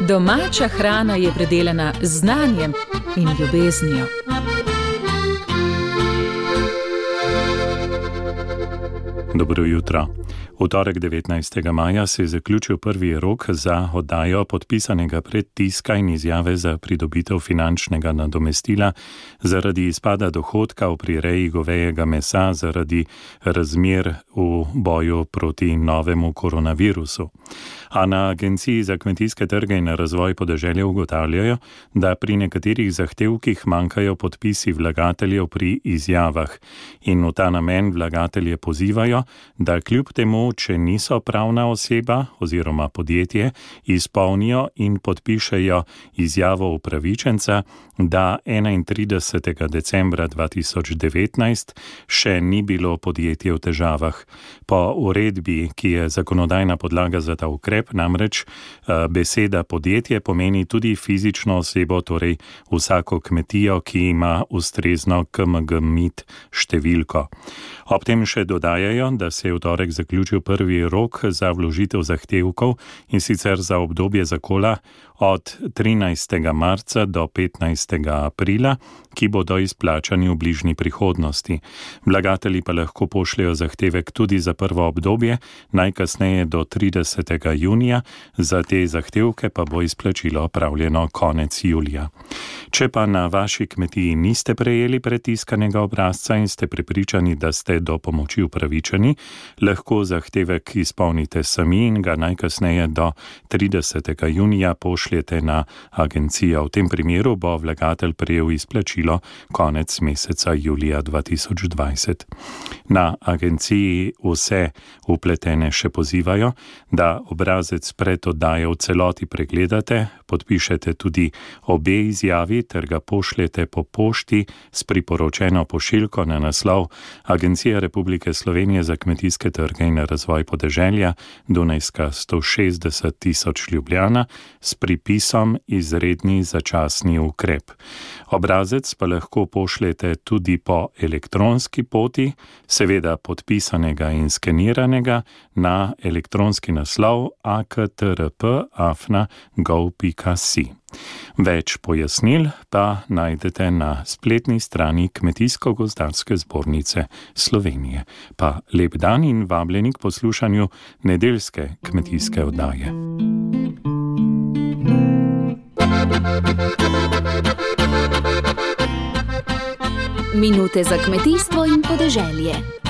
Domača hrana je predelana z znanjem in ljubeznijo. Dobro jutro. V torek 19. maja se je zaključil prvi rok za oddajo podpisanega predtiska in izjave za pridobitev finančnega nadomestila zaradi izpada dohodka v prireji govejega mesa zaradi razmer v boju proti novemu koronavirusu. A na Agenciji za kmetijske trge in razvoj podeželja ugotavljajo, da pri nekaterih zahtevkih manjkajo podpisi vlagateljev pri izjavah in v ta namen vlagatelje pozivajo, da kljub temu, če niso pravna oseba oziroma podjetje, izpolnijo in podpišejo izjavo upravičenca, da 31. decembra 2019 še ni bilo podjetje v težavah. Po uredbi, ki je zakonodajna podlaga za ta ukrep, namreč beseda podjetje pomeni tudi fizično osebo, torej vsako kmetijo, ki ima ustrezno KMG-MID številko. Ob tem še dodajajo, da se je v torek zaključil prvi rok za vložitev zahtevkov in sicer za obdobje zakola od 13. marca do 15. aprila, ki bodo izplačani v bližnji prihodnosti. Vlagatelji pa lahko pošljejo zahtevek tudi za prvo obdobje, najkasneje do 30. junija, za te zahtevke pa bo izplačilo opravljeno konec julija. Če pa na vaši kmetiji niste prejeli predtiskanega obrazca in ste prepričani, da ste do pomoči upravičeni, lahko zahtevek izpolnite sami in ga najkasneje do 30. junija pošljete na agencijo. V tem primeru bo vlagatelj prejel izplačilo konec meseca julija 2020. Na agenciji vse vpletene še pozivajo, da obrazec pred oddajo v celoti pregledate, podpišete tudi obe izjavi ter ga pošljete po pošti s priporočeno pošiljko na naslov Agencija Republike Slovenije za kmetijske trge in razvoj podeželja, Dunajska 160 000 Ljubljana, s pripisom izredni začasni ukrep. Obrazec pa lahko pošljete tudi po elektronski poti, seveda podpisanega in skeniranega, na elektronski naslov aktrp@gov.si. Več pojasnil pa najdete na spletni strani Kmetijsko-gozdarske zbornice Slovenije. Pa lep dan in vabljeni k poslušanju nedeljske kmetijske oddaje. Minute za kmetijstvo in podeželje.